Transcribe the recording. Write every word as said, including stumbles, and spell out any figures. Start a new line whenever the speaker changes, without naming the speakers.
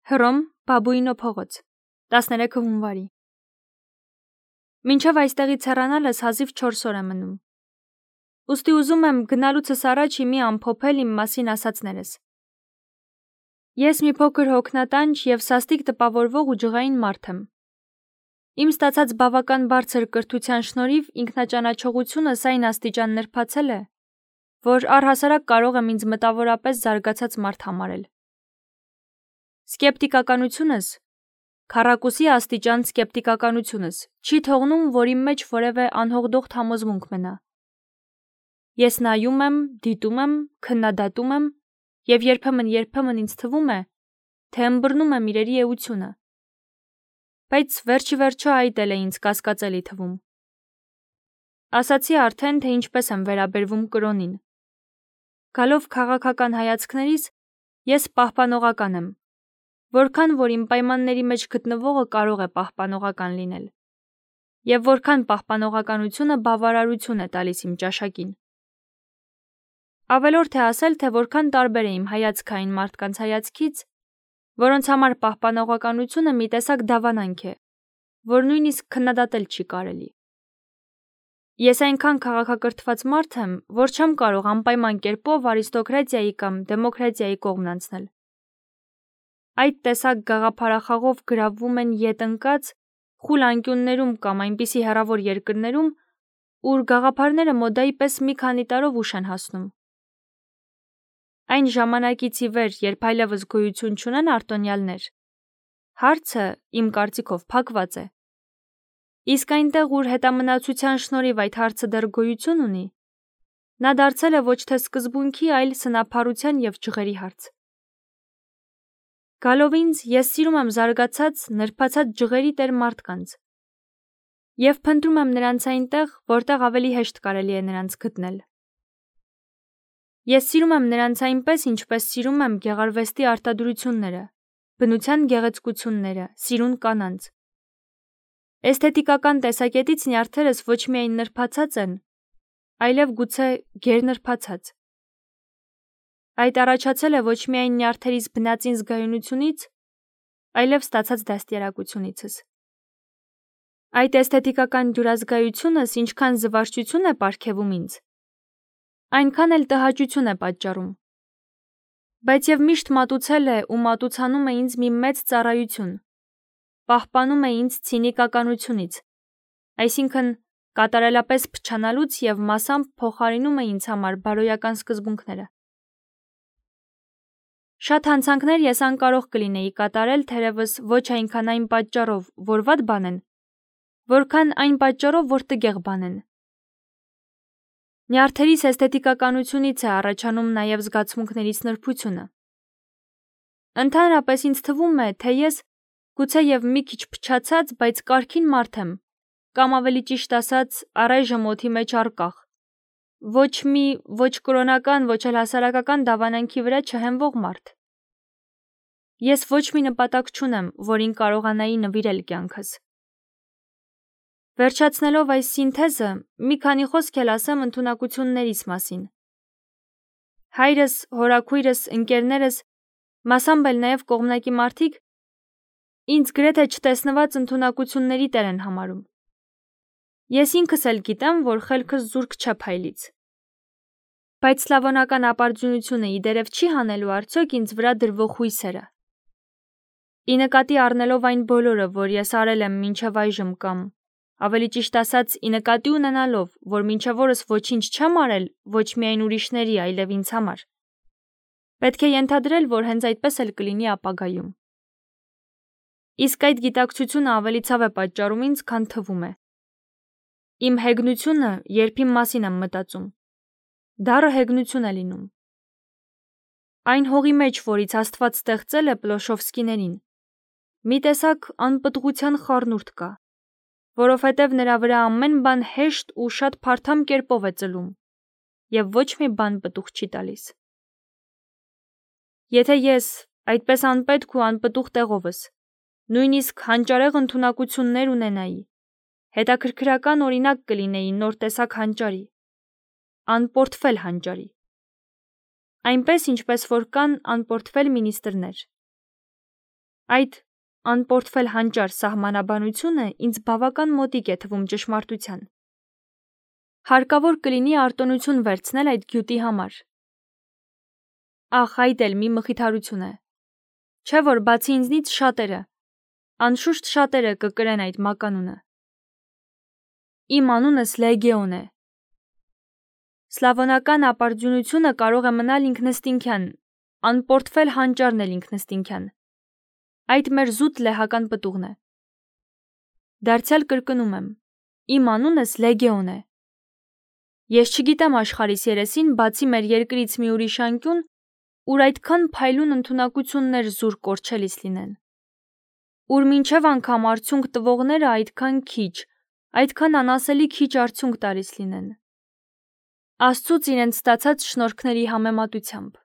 Հռոմ, Բաբուինո փողոց, տասներեքը հունվարի։ Մինչև այստեղից հեռանալս հազիվ չորս օր է մնում։ Ուստի ուզում եմ գնալուցս առաջ իմի ամփոփել իմ մասին ասածներս։ Ես մի փոքր հոգնատանջ և սաստիկ տպավորվող ու ջղային մարդ եմ։ Իմ ստացած բավական բարձր կրթության շնորհիվ ինքնաճանաչողությունս այն աստիճան նրբացել է, որ առհասարակ կարող եմ ինձ մտավորապես զարգացած մարդ համարել։ Սկեպտիկականությունս, քառակուսի աստիճան սկեպտիկականությունս, չի թողնում, որ իմ մեջ որևէ անհողդողդ համոզմունք մնա։ Ես նայում եմ, դիտում եմ, քննադատում եմ, և երբեմն-երբեմն ինձ թվում է, թե ըմբռնում եմ իրերի էությունը։ Բայց վերջիվերջո այդ էլ է ինձ կասկածելի թվում։ Ասացի արդեն, թե ինչպես եմ վերաբերվում կրոնին։ Գալով քաղաքական հայացքներիս, ես պահպանողական եմ, որքան որ իմ պայմանների մեջ գտնվողը կարող է պահպանողական լինել, և որքան պահպանողականությունը բավարարություն է տալիս իմ ճաշակին։ Ավելորդ է ասել, թե որքան տարբեր է իմ հայացքը այն մարդկանց հայացքից, որոնց համար պահպանողականությունը մի տեսակ դավանանք է, որ նույնիսկ քննադատել չի կարելի։ Ես այնքան քաղաքակրթված մարդ եմ, որ չեմ կարող անպայման կերպով արիստոկրատիայի կամ դեմոկրատիայի կողմն անցնել։ Այդ տեսակ գաղափարախաղով գրավվում են ետ ընկած խուլ անկյուններում կամ այնպիսի հեռավոր երկրներում, ուր գաղափարները մոդայի պես մի քանի տարով ուշ են հասնում։ Այն ժամանակից ի վեր, երբ այլևս գոյություն չունեն արտոնյալներ, հարցը, իմ կարծիքով, փակված է։ Իսկ այնտեղ, ուր հետամնացության շնորհիվ այդ հարցը դեռ գոյություն ունի, նա դարձել է ոչ թե սկզբունքի, այլ սնափառության և ջղերի հարց։ Գալով ինձ, ես սիրում եմ զարգացած, նրբացած ջղերի տեր մարդկանց և փնտրում եմ նրանց այնտեղ, որտեղ ավելի հեշտ կարելի է նրանց գտնել։ Ես սիրում եմ նրանց այնպես, ինչպես սիրում եմ գեղարվեստի արտադրությունները, բնության գեղեցկությունները, սիրուն կանանց։ Էսթետիկական տեսակետից նյարդերս ոչ միայն նրբացած են, այլև գուցե գերնրբացած։ Այդ առաջացել է ոչ միայն նյարդերիս բնածին զգայունությունից, այլև ստացած դաստիարակությունիցս։ Այդ էսթետիկական դյուրազգայությունս ինչքան զվարճություն է պարգևում ինձ, այնքան էլ տհաճություն է պատճառում։ Բայց և միշտ մատուցել է ու մատուցանում է ինձ մի մեծ ծառայություն, պահպանում է ինձ ցինիկականությունից, այսինքն կատարելապես փչանալուց և մասամբ փոխարինում է ինձ համար բարոյական սկզբունքները։ Շատ հանցանքներ ես անկարող կլինեի կատարել, թերևս ոչ այնքան այն պատճառով, որ վատ բան են, որքան այն պատճառով, որ տգեղ բան են։ Նյարդերիս էսթետիկականությունից է առաջանում նաև զգացմունքներիս նրբությունը։ Ընդհանրապես ինձ թվում է, թե ես գուցեև մի քիչ փչացած, բայց կարգին մարդ եմ, կամ ավելի ճիշտ ասած, առայժմ օդի մեջ առկախ, ոչ մի ոչ կրոնական, ոչ էլ հասարակական դավանանքի վրա չհենվող մարդ։ Ես ոչ մի նպատակ չունեմ, որին կարողանայի նվիրել կյանքս։ Վերջացնելով այս սինթեզը, մի քանի խոսք էլ ասեմ ընդունակություններիս մասին։ Հայրս, հորաքույրս, ընկերներս, մասամբ էլ նաև կողմնակի մարդիկ ինձ գրեթե չտեսնված ընդունակությունների տեր են համարում։ Ես ինքս էլ գիտեմ, որ խելքս զուրկ չէ փայլից։ Բայց սլավոնական ապարդյունությունը իդերև չի հանելու արդյոք ինձ վրա դրվող հույսերը։ Ի նկատի առնելով այն բոլորը, որ ես արել եմ մինչև այժմ կամ, ավելի ճիշտ ասած, ի նկատի ունենալով, որ մինչև օրս ոչինչ չեմ արել ոչ միայն ուրիշների, այլև ինձ համար, պետք է ենթադրել, որ հենց այդպես էլ կլինի ապագայում։ Իսկ այդ գիտակցությունը ավելի ցավ է պատճառում ինձ, քան թվում է։ Իմ հեգնությունը, երբ իմ մասին եմ մտածում, դառը հեգնություն է լինում։ Այն հողի մեջ, որից Աստված ստեղծել է Պլոշովսկիներին, մի տեսակ անպտղության խառնուրդ կա, որովհետև նրա վրա ամեն բան հեշտ ու շատ փարթամ կերպով է ծլում, և ոչ մի բան պտուղ չի տալիս։ Եթե ես, այդպես անպետք ու անպտուղ տեղովս, նույնիսկ հանճարեղ ընդունակություններ ունենայի, հետաքրքրական օրինակ կլինեի նոր տեսակ հանճարի, անպորտֆել հանճարի, այնպես ինչպես որ կան անպորտֆել մինիստրներ։ Այդ անպորտֆել հանճար սահմանաբանությունը ինձ բավական մոտիկ է թվում ճշմարտության։ Հարկավոր կլինի արտոնություն վերցնել այդ գյուտի համար։ Ախ, այդ էլ մի մխիթարություն է։ Չէ՞ որ բացի ինձնից շատերը, անշուշտ շատերը կկրեն այդ մականունը։ Իմ անունս Լեգեոն է։ Սլավոնական ապարդյունությունը կարող է մնալ ինքնըստինքյան, անպորտֆել հանճարն էլ ինքնըստինքյան։ Այդ մեր զուտ լեհական պտուղն է։ Դարձյալ կրկնում եմ, իմ անունս Լեգեոն է։ Ես չգիտեմ աշխարհիս երեսին, բացի մեր երկրից մի ուրիշ անկյուն, ուր այդքան փայլուն ընդունակություններ զուր կորչելիս լինեն, ուր մինչև անգամ արդյունք տվողները այդքան քիչ, այդքան անասելի քիչ արդյունք տալիս լինեն, Աստծուց իրենց ստացած շնորհքների համեմատությամբ։